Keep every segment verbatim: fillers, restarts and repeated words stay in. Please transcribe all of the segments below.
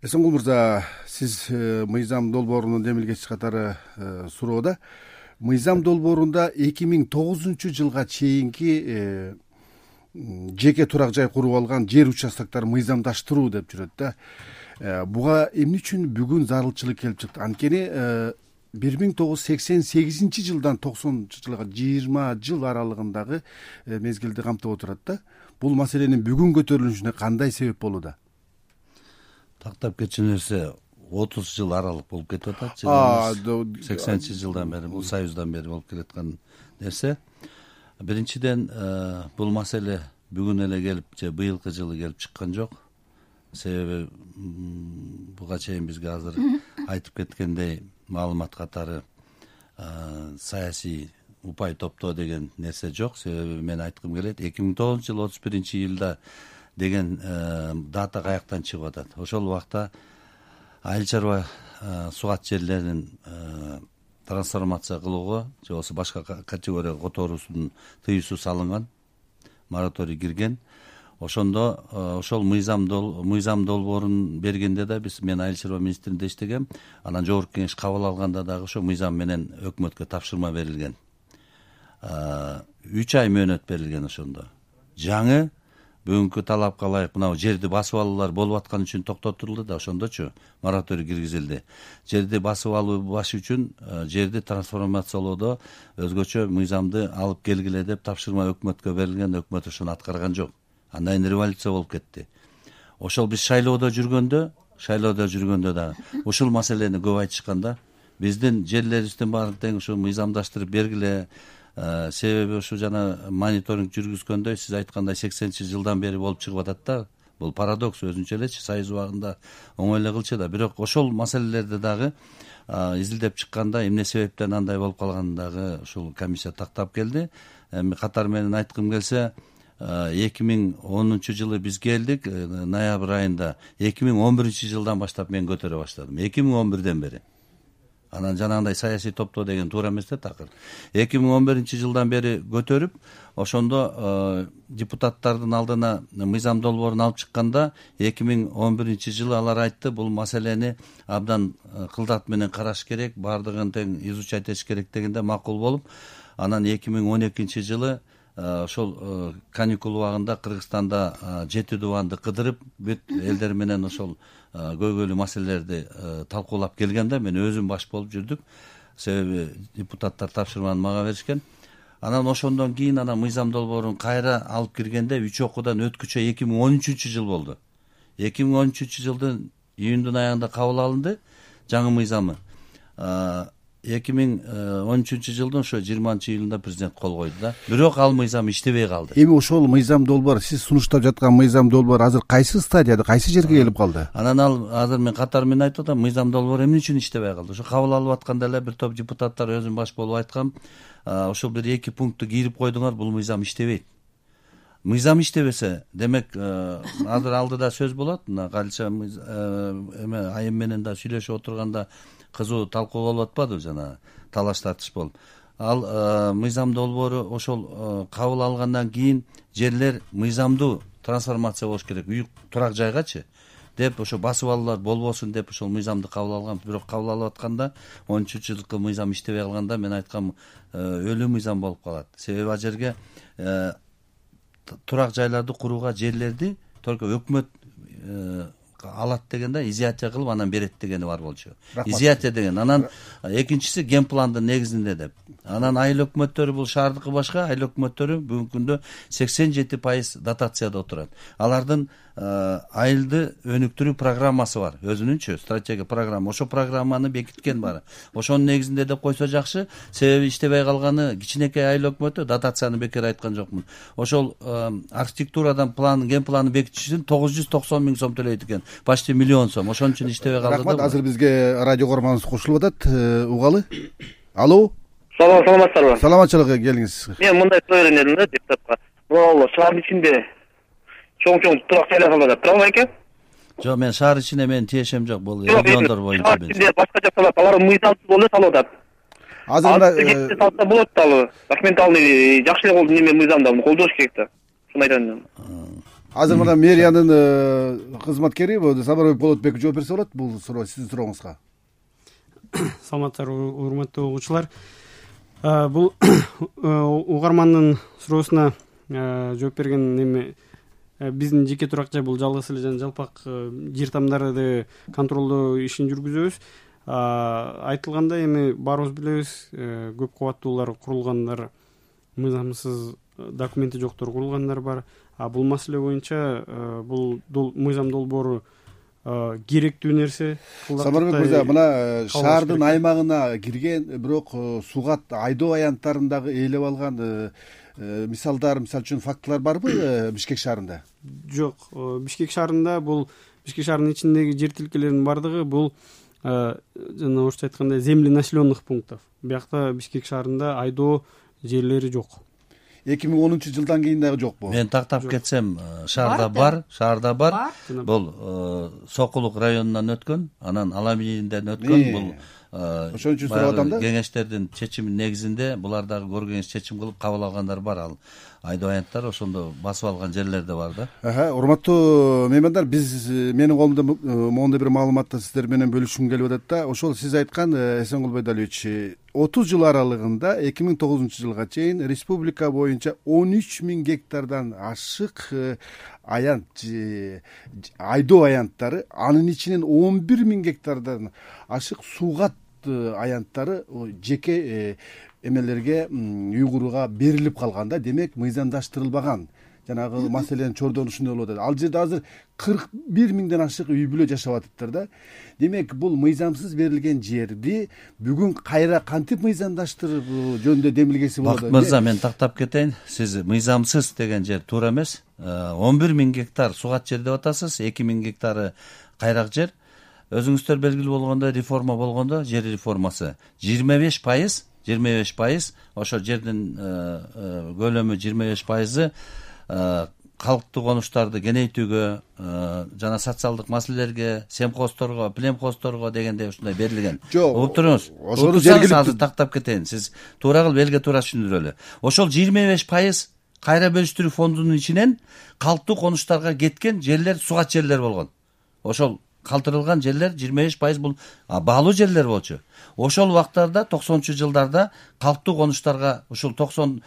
Эсенгул мырза, сиз мыйзам долбоорунун демилгечи катары суроодо мыйзам долбоорунда эки миң тогузунчу жылга чейинки жеке турак жай куруп алган жер участоктор мыйзамдаштыруу деп жүрөт да. Буга эмне үчүн бүгүн зарылчылык келип чыкты? Анткени бир миң тогуз жүз сексен сегизинчи жылдан токсонунчу жылга жыйырма жыл аралыгындагы мезгилди камтып отурат да. Бул маселенин бүгүн көтөрүлүшүнө кандай себеп болууда? Тактап кетчү нерсе отуз жыл аралык болуп кетип атат. сексенинчи жылдан бери, бул союздан бери болуп келаткан нерсе. Биринчиден, бул маселе бүгүн эле келип же быйылкы жылы келип чыккан жок. Себеби буга чейин бизге азыр айтып кеткендей маалымат катары саясий упай топтоо деген нерсе жок. Себеби мен айткым келет, эки миң тогузунчу жыл отуз биринчи июлда деген дата каяктан чыгып атат. Ошол убакта айыл чарба сугат жерлерин трансформация кылууга же болбосо башка категорияга которуусунун тыюусу салынган, мораторий кирген. Ошондо ошол мыйзам мыйзам долбоорун бергенде да биз мен айыл чарба министринде иштегем. Анан жогорку кеңеш кабыл алганда дагы ошо мыйзам менен өкмөткө тапшырма берилген. үч ай мөөнөт берилген ошондо. Жаңы бүгүнкү талапка ылайык мына жерди басып алуулар болуп аткан үчүн токтотулду да, ошондочу мораторий киргизилди. Жерди басып алуу баш үчүн жерди трансформациялоодо өзгөчө мыйзамды алып келгиле деп тапшырма өкмөткө берилген, өкмөт ошону аткарган жок. Андан кийин революция болуп кетти. Ошол биз шайлоодо жүргөндө, шайлоодо жүргөндө да ушул маселени көп айтышканда, биздин жерлерибиздин баарын тең ушу мыйзамдаштырып бергиле. Себеби ушу жана мониторинг жүргүзгөндөй сиз айткандай сексенинчи жылдан бери болуп чыгып атат да. Бул парадокс өзүнчө элечи, союз убагында оңой эле кылчу да. Бирок ошол маселелерди дагы изилдеп чыкканда эмне себептен андай болуп калганын дагы ушул комиссия тактап келди. Эми катар менен айткым келсе, эки миң онунчу жылы биз келдик, ноябрь айында. эки миң он биринчи жылдан баштап мен көтөрө баштадым. эки миң он бирден бери. Анан жанагындай саясий топтоо деген туура эмес да такыр. эки миң он биринчи жылдан бери көтөрүп, ошондо депутаттардын алдына мыйзам долбоорун алып чыкканда, эки миң он биринчи жылы алар айтты, бул маселени абдан кылдат менен караш керек, баардыгын тең изучать этиш керек дегенде макул болуп, анан эки миң он экинчи жылы ошол каникул убагында Кыргызстанда жети дубанды кыдырып, бүт элдер менен ошол көйгөйлүү маселелерди талкуулап келгенде мен өзүм баш болуп жүрдүк. Себеби депутаттар тапшырманы мага беришкен. Анан ошондон кийин анан мыйзам долбоорун кайра алып киргенде үч окуудан өткүчө эки миң он үчүнчү жыл болду. эки миң он үчүнчү жылдын июндун аягында кабыл алынды жаңы мыйзамы. эки миң он үчүнчү жылдын ошо жыйырманчы июлунда президент кол койду да. Бирок ал мыйзам иштебей калды. Эми ошол мыйзам долбоор, сиз сунуштап жаткан мыйзам долбоор азыр кайсы стадияда, кайсы жерге келип калды? Анан ал азыр мен катар менен айтып атам, мыйзам долбоор эмне үчүн иштебей калды? Ошо кабыл алып атканда эле бир топ депутаттар өзүм баш болуп айткам, ошол бир эки пунктты кийирип койдуңар, бул мыйзам иштебейт. Мыйзам иштебесе, демек азыр алдыда сөз болот, мына Галиша эме айым менен да сүйлөшүп отурганда кызуу талкуу болуп атпадыбы, жана талаш тартыш болуп. Ал мыйзам долбоору ошол кабыл алгандан кийин жерлер мыйзамдуу трансформация болуш керек, үй турак жайгачы деп ошо басып алуулар болбосун деп ошол мыйзамды кабыл алган. Бирок кабыл алып атканда он үчүнчү жылкы мыйзам иштебей калганда мен айткам, өлүү мыйзам болуп калат. Себеби ал жерге турак жайларды курууга жерлерди только өкмөт алат дегенде изъятие кылып анан берет дегени бар болчу. Изъятие деген. Анан экинчиси ген пландын негизинде деп. Анан айыл өкмөттөрү, бул шаардыкы башка, айыл өкмөттөрү бүгүнкү күндө сексен жети пайыз дотацияда отурат. Алардын айылды өнүктүрүү программасы бар, өзүнүнчө стратегия программа. Ошо программаны бекиткен бары. Ошонун негизинде деп койсо жакшы, себеби иштебей калганы кичинекей айыл өкмөтү, дотацияны бекер айткан жокмун. Ошол архитектурадан план, ген планы бекитиш үчүн тогуз жүз токсон миң сом төлөйт экен. Почти миллион сом. Ошон үчүн иштебей калды. Рахмат, азыр бизге радио көрманыбыз кошулуп атат. Угалы. Алло. Салам, саламатсыздарбы? Саламатчылык, келиңиз. Мен мындай суроо берем дедим да депутатка. Бул шаар ичинде чоң-чоң турак жайлар салат, туурабы экен? Жок, мен шаар ичине мен тиешем жок, бул региондор боюнча мен. Башка жак салат, алар мыйзамсыз болуп салып атат. Азыр мында кетти салса болот да, документалный жакшы эле болду, неме мыйзамда колдош керек да. Шуну айтам. азыр мына мэриянын кызматкери Сапарбек Болотбек жооп берсе болот бул суроо сиздин сурооңузга. Саламаттарбы урматтуу угуучулар. Бул угармандын суроосуна жооп берген эми биздин жеке турак жай бул жалгыз эле жана жалпак жер тамдарды контролдоо ишин жүргүзөбүз. Айтылгандай эми баарыбыз билебиз, көп кабаттуулар курулгандар, мыйзамсыз документи жоктор курулгандар бар. А бул маселе боюнча бул мыйзам долбоору керектүү нерсе. Сапарбек мырза, мына шаардын аймагына кирген, бирок сугат айдоо аянттарын ээлеп алган мисалдар, мисалы үчүн фактылар барбы Бишкек шаарында? Жок, Бишкек шаарында бул Бишкек шаарынын ичиндеги жер тилкелеринин бардыгы бул жана орусча айтканда земли населенных пунктов. Биякта Бишкек шаарында айдоо жерлери жок. эки миң онунчу жылдан кийин дагы жокпу? Мен тактап кетсем, шаарда бар, шаарда бар. Бул Сокулук районунан өткөн, анан Аламинден өткөн. Бул ошон үчүн сурап атам да. Кеңештердин чечими негизинде булар дагы көргөнүз чечим кылып кабыл алгандар бар. Ал айдоо аянттар ошондо басып алган жерлер да бар да. Урматтуу меймандар, биз менин колумда моундай бир маалыматты сиздер менен бөлүшкүм келип атат да. Ошол сиз айткан Эсенгул Байдалиевич, отуз жыл аралыгында эки миң тогузунчу жылга чейин республика боюнча он үч миң гектардан ашык аянт, айдоо аянттары, анын ичинен он бир миң гектардан ашык сугат аянттары жеке эмелерге, үй курууга берилип калган да. Демек, мыйзамдаштырылбаган. Жанагы маселенин чордонушундай болуп атат. Ал жерде азыр кырк бир миңден ашык үй бүлө жашап атыптыр да. Демек, бул мыйзамсыз берилген жерди бүгүн кайра кантип мыйзамдаштырып жөнүндө демилгеси болот? Бакыт мырза, мен тактап кетейин. Сиз мыйзамсыз деген жер туура эмес. он бир миң гектар сугат жер деп атасыз, эки миң гектары кайрак жер. Өзүңүздөр белгилүү болгондой, реформа болгондо, жер реформасы жыйырма беш пайыз, жыйырма беш пайыз ошо жердин көлөмү жыйырма беш пайызы калктуу конуштарды кеңейтүүгө жана социалдык маселелерге, семхоздорго, племхоздорго дегендей ушундай берилген. Угуп туруңуз. Ошону жергиликтүү азыр тактап кетейин. Сиз туура кылып элге туура түшүндүрөлү. Ошол жыйырма беш пайыз кайра бөлүштүрүү фондунун ичинен калктуу конуштарга кеткен жерлер сугат жерлер болгон. Ошол калтырылган жерлер жыйырма беш пайыз бул баалуу жерлер болчу. Ошол убактарда токсонунчу жылдарда калктуу конуштарга ушул токсон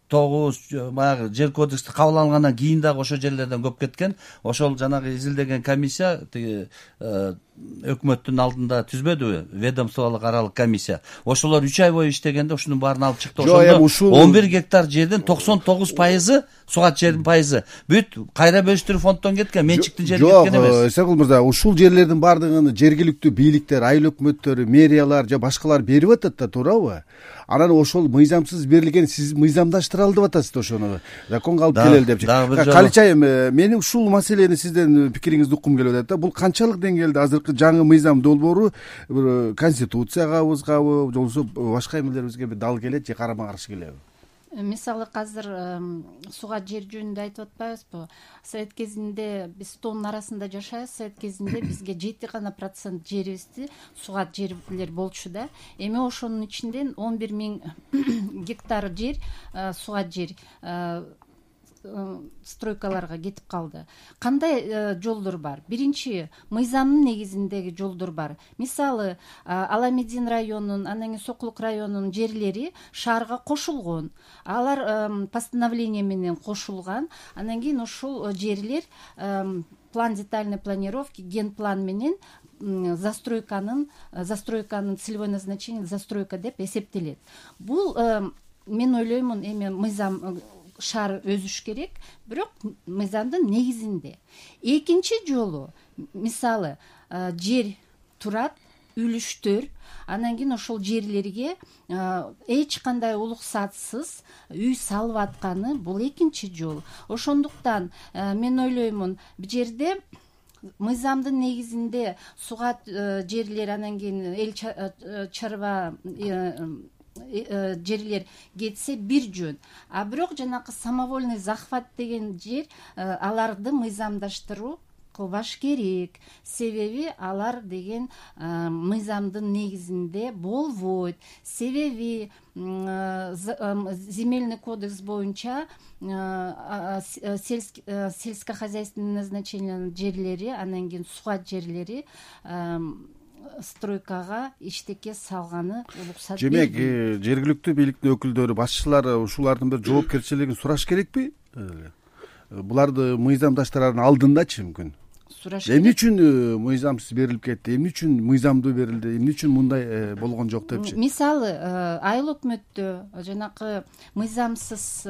тогуз баягы жер кодекси кабыл алынгандан кийин дагы ошол жерлерден көп кеткен. Ошол жанагы изилдеген комиссия тиги өкмөттүн алдында түзбөдүбү? Ведомстволук аралык комиссия. Ошолор үч ай бою иштегенде ушунун баарын алып чыкты. Ошондо он бир гектар жердин токсон тогуз пайызы сугат жердин пайызы бүт кайра бөлүштүрүү фонддон кеткен, менчиктин жери кеткен эмес. Жок, Эсенгул мырза, ушул жерлердин баардыгын жергиликтүү бийликтер, айыл өкмөттөрү, мэриялар же башкалар берип атат да, туурабы? Анан ошол мыйзамсыз берилген, сиз мыйзамдаштыралы деп атасыз ошону. Законго алып келели депчи. Калычайым, менин ушул маселени сизден пикириңизди уккум келип атат да. Бул канчалык деңгээлде азыркы жаңы мыйзам долбоору конституциягабызгабы, же болбосо башка эмелерибизге бир дал келет же карама каршы келеби? Мисалы азыр сугат жер жөнүндө айтып атпайбызбы? Совет кезинде биз тоонун арасында жашайбыз. Совет кезинде бизге жети гана процент жерибизди сугат жерлер болчу да. Эми ошонун ичинен он бир миң гектар жер сугат жер стройкаларга кетип калды. Кандай жолдор бар? Биринчи, мыйзамдын негизиндеги жолдор бар. Мисалы, Аламедин районунун, анан кийин Сокулук районунун жерлери шаарга кошулгон. Алар постановление менен кошулган. Анан кийин ушул жерлер план детальной планировки, генплан менен застройканын застройканын целевой назначение застройка деп эсептелет. Бул мен ойлоймун, эми мыйзам шаар өзүш керек, бирок мыйзамдын негизинде. Экинчи жолу, мисалы, жер турат, үлүштөр, анан кийин ошол жерлерге эч кандай уруксатсыз үй салып атканы бул экинчи жол. Ошондуктан мен ойлоймун, бул жерде мыйзамдын негизинде сугат жерлер, анан кийин эл чарба жерлер кетсе бир жөн. А бирок жанакы самовольный захват деген жер, аларды мыйзамдаштыруу кылбаш керек, себеби алар деген мыйзамдын негизинде болбойт. Себеби земельный кодекс боюнча сельскохозяйственный назначениянын жерлери, анан кийин сухат жерлери стройкага иштекке салганы уруксат демек жергиликтүү бийликтин өкүлдөрү, башчылар ушулардын бир жоопкерчилигин сураш керекпи? Буларды мыйзамдаштырардын алдындачы мүмкүн сураш керек. Эмне үчүн мыйзамсыз берилип кетти, эмне үчүн мыйзамдуу берилди, эмне үчүн мындай болгон жок депчи? Мисалы айыл өкмөттө жанакы мыйзамсыз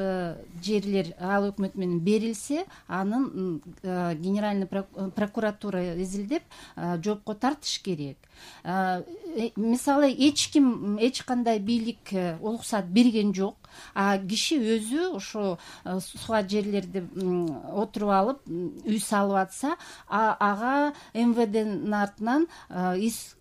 жерлер айыл өкмөтү менен берилсе, анын генеральный прокуратура изилдеп жоопко тартыш керек. Мисалы эч ким эч кандай бийлик уруксат берген жок, а киши өзү ошо сухат жерлерди отуруп алып үй салып атса, ага эм вэ дэнин артынан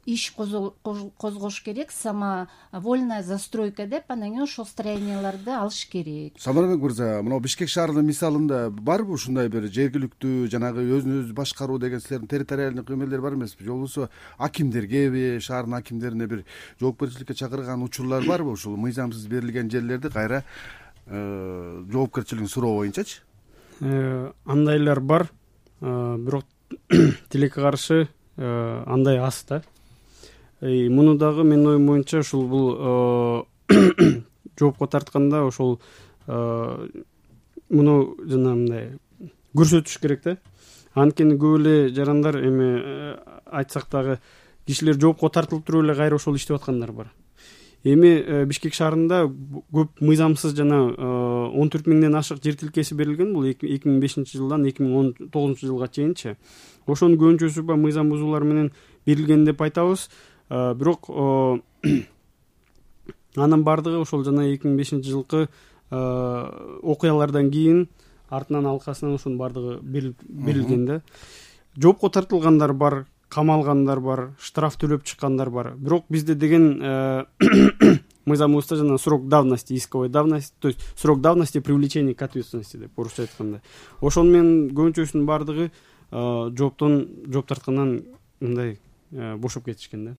иш козгош керек, самовольная застройка деп, анан кийин ошол строенияларды алыш керек. Самарбек мырза, мына Бишкек шаарынын мисалында барбы ушундай бир жергиликтүү жанагы өзүн өзү башкаруу деген силердин территориальный эмелер бар эмеспи? Же болбосо акимдергеби, шаардын акимдерине бир жоопкерчиликке чакырган учурлар барбы ушул мыйзамсыз берилген жерлерди кайра жоопкерчилигин суроо боюнчачы? Андайлар бар, бирок тилекке каршы андай аз да. Муну дагы менин оюм боюнча ушул бул жоопко тартканда ошол муну жана мындай көрсөтүш керек да. Анткени көп эле жарандар эми айтсак дагы кишилер жоопко тартылып туруп эле кайра ошол иштеп аткандар бар. Эми Бишкек шаарында көп мыйзамсыз жана он төрт миңден ашык жер тилкеси берилген, бул эки миң бешинчи жылдан эки миң он тогузунчу жылга чейинчи. Ошонун көбүнчөсү ба мыйзам бузуулар менен берилген деп айтабыз. Бирок анын бардыгы ошол жана эки миң бешинчи жылкы окуялардан кийин артынан алкасынан ошонун бардыгы берилген да. Жоопко тартылгандар бар, камалгандар бар, штраф төлөп чыккандар бар. Бирок бизде деген мыйзамыбызда жана срок давности, исковой давности, то есть срок давности привлечения к ответственности деп орусча айтканда. Ошону менен көбүнчөсүнүн бардыгы жооптон жооп тарткандан мындай бошоп кетишкен да.